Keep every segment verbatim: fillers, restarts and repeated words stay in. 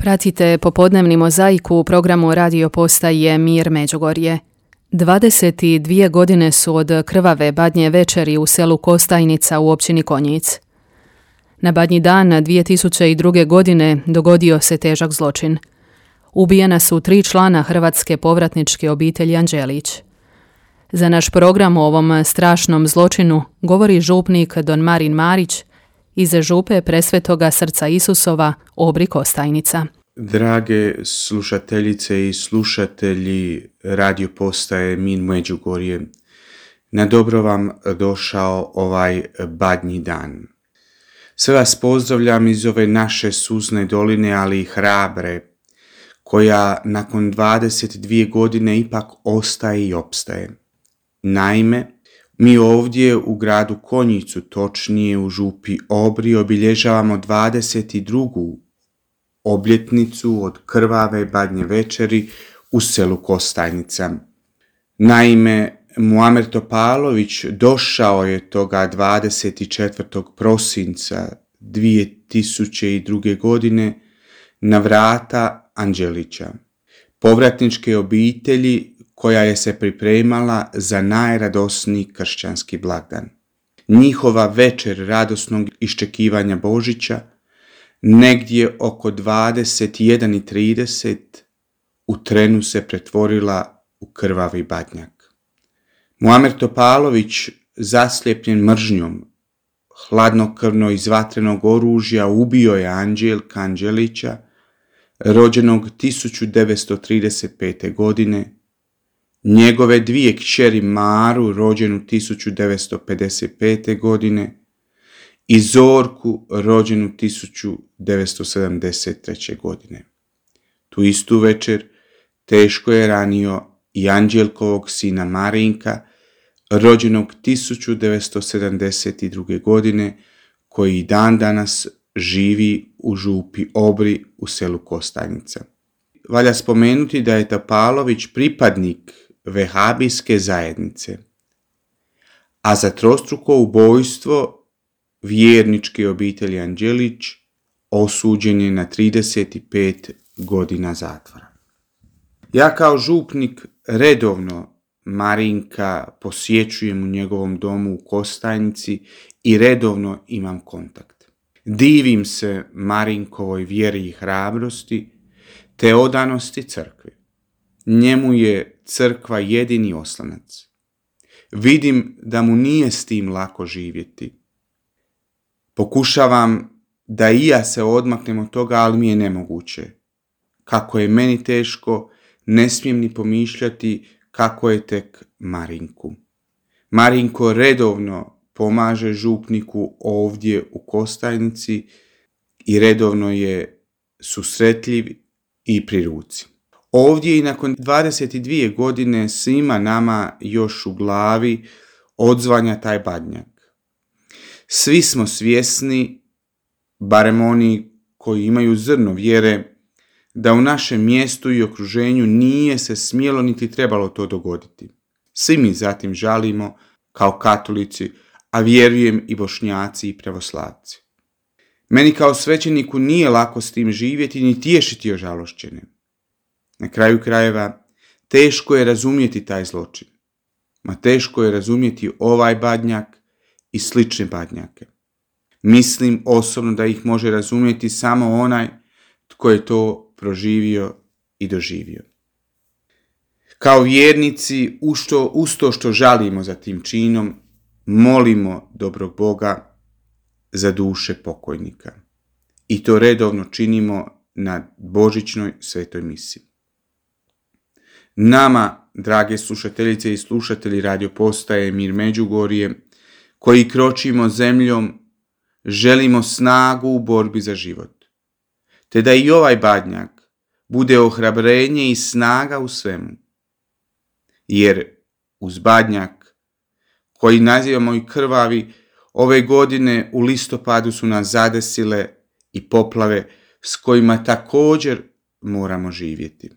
Pratite popodnevni mozaik u programu radio postaje Mir Međugorje. dvadeset dvije godine su od krvave badnje večeri u selu Kostajnica u općini Konjic. Na badnji dan dvije tisuće druge. godine dogodio se težak zločin. Ubijena su tri člana hrvatske povratničke obitelji Anđelić. Za naš program o ovom strašnom zločinu govori župnik don Marin Marić iz župe Presvetoga srca Isusova Obri Kostajnica. Drage slušateljice i slušatelji radio postaje Mir Međugorje, na dobro vam došao ovaj badnji dan. Sve vas pozdravljam iz ove naše suzne doline, ali i hrabre, koja nakon dvadeset dvije godine ipak ostaje i opstaje. Naime, mi ovdje u gradu Konjicu, točnije u župi Obri, obilježavamo dvadeset drugu obljetnicu od krvave badnje večeri u selu Kostajnica. Naime, Muamer Topalović došao je toga dvadeset četvrtog prosinca dvije tisuće druge. godine na vrata Anđelića, povratničke obitelji koja je se pripremala za najradosniji kršćanski blagdan. Njihova večer radosnog iščekivanja Božića negdje oko dvadeset jedan i trideset u trenu se pretvorila u krvavi badnjak. Muamer Topalović, zaslijepljen mržnjom, hladnokrvno iz vatrenog oružja ubio je Anđelka Anđelića, rođenog tisuću devetsto trideset pete. godine, njegove dvije kćeri Maru, rođenu tisuću devetsto pedeset pete. godine, i Zorku, rođenu tisuću devetsto sedamdeset treće. godine. Tu istu večer teško je ranio i Anđelkovog sina Marinka, rođenog tisuću devetsto sedamdeset druge. godine, koji dan danas živi u župi Obri u selu Kostajnica. Valja spomenuti da je Topalović pripadnik vehabijske zajednice, a za trostruko ubojstvo vjerničke obitelji Anđelić osuđen je na trideset pet godina zatvora. Ja kao župnik redovno Marinka posjećujem u njegovom domu u Kostajnici i redovno imam kontakt. Divim se Marinkovoj vjeri i hrabrosti te odanosti crkvi. Njemu je crkva jedini oslanac. Vidim da mu nije s tim lako živjeti. Pokušavam da i ja se odmaknem od toga, ali mi je nemoguće. Kako je meni teško, ne smijem ni pomišljati kako je tek Marinku. Marinko redovno pomaže župniku ovdje u Kostajnici i redovno je susretljiv i pri ruci. Ovdje i nakon dvadeset dvije godine svima nama još u glavi odzvanja taj badnjak. Svi smo svjesni, barem oni koji imaju zrno vjere, da u našem mjestu i okruženju nije se smjelo niti trebalo to dogoditi. Svi mi zatim žalimo kao katolici, a vjerujem i Bošnjaci i pravoslavci. Meni kao svećeniku nije lako s tim živjeti ni tješiti ožalošćene. Na kraju krajeva, teško je razumjeti taj zločin. Ma teško je razumjeti ovaj badnjak i slične badnjake. Mislim osobno da ih može razumjeti samo onaj tko je to proživio i doživio. Kao vjernici, ušto, uz to što žalimo za tim činom, molimo dobrog Boga za duše pokojnika. I to redovno činimo na božićnoj svetoj misi. Nama, drage slušateljice i slušatelji radio postaje Mir Međugorje, koji kročimo zemljom, želimo snagu u borbi za život. Te da i ovaj badnjak bude ohrabrenje i snaga u svemu. Jer uz badnjak, koji nazivamo i krvavi, ove godine u listopadu su nas zadesile i poplave s kojima također moramo živjeti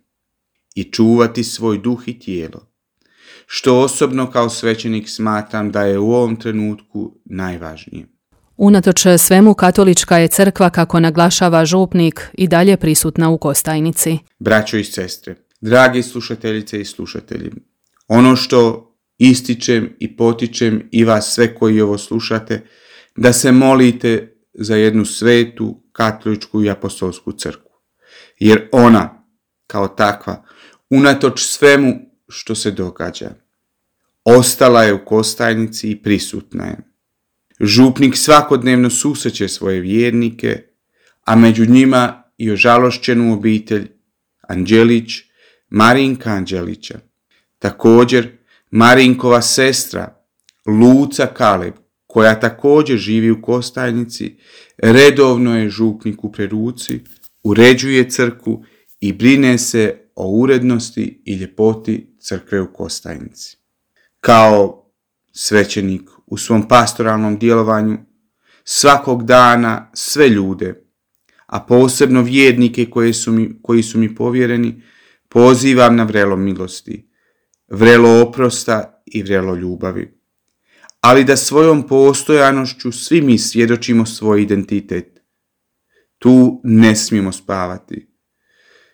i čuvati svoj duh i tijelo, što osobno kao svećenik smatram da je u ovom trenutku najvažnije. Unatoč svemu, katolička je crkva, kako naglašava župnik, i dalje prisutna u Kostajnici. Braćo i sestre, dragi slušateljice i slušatelji, ono što ističem i potičem i vas sve koji ovo slušate, da se molite za jednu svetu katoličku i apostolsku crkvu. Jer ona, kao takva, unatoč svemu što se događa, ostala je u Kostajnici i prisutna je. Župnik svakodnevno susreće svoje vjernike, a među njima i ožalošćenu obitelj Anđelić, Marinka Anđelića. Također, Marinkova sestra Luca Kaleb, koja također živi u Kostajnici, redovno je župniku pri ruci, uređuje crkvu i brine se o urednosti i ljepoti crkve u Kostajnici. Kao svećenik u svom pastoralnom djelovanju svakog dana sve ljude, a posebno vjernike koji su mi, koji su mi povjereni, pozivam na vrelo milosti, vrelo oprosta i vrelo ljubavi. Ali da svojom postojanošću svi mi svjedočimo svoj identitet. Tu ne smijemo spavati.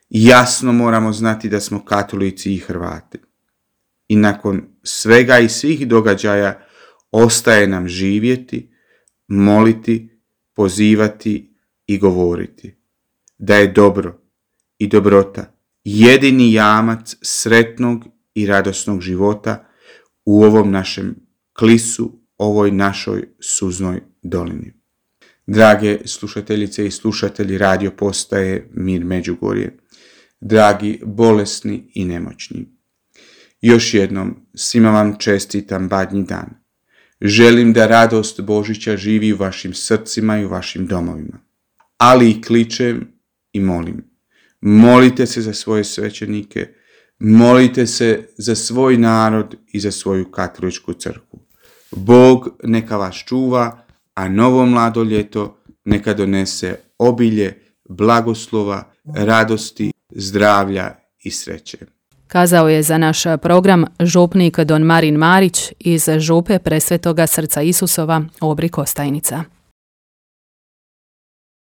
Jasno moramo znati da smo katolici i Hrvati. I nakon svega i svih događaja ostaje nam živjeti, moliti, pozivati i govoriti da je dobro i dobrota jedini jamac sretnog i radosnog života u ovom našem klisu, ovoj našoj suznoj dolini. Drage slušateljice i slušatelji radio postaje Mir Međugorje, dragi bolesni i nemoćni, još jednom svima vam čestitam Badnji dan. Želim da radost Božića živi u vašim srcima i u vašim domovima. Ali i kličem i molim. Molite se za svoje svećenike, molite se za svoj narod i za svoju katoličku crkvu. Bog neka vas čuva, a novo mlado ljeto neka donese obilje, blagoslova, radosti, zdravlja i sreće. Kazao je za naš program župnik don Marin Marić iz župe Presvetoga Srca Isusova, Obri Kostajnica.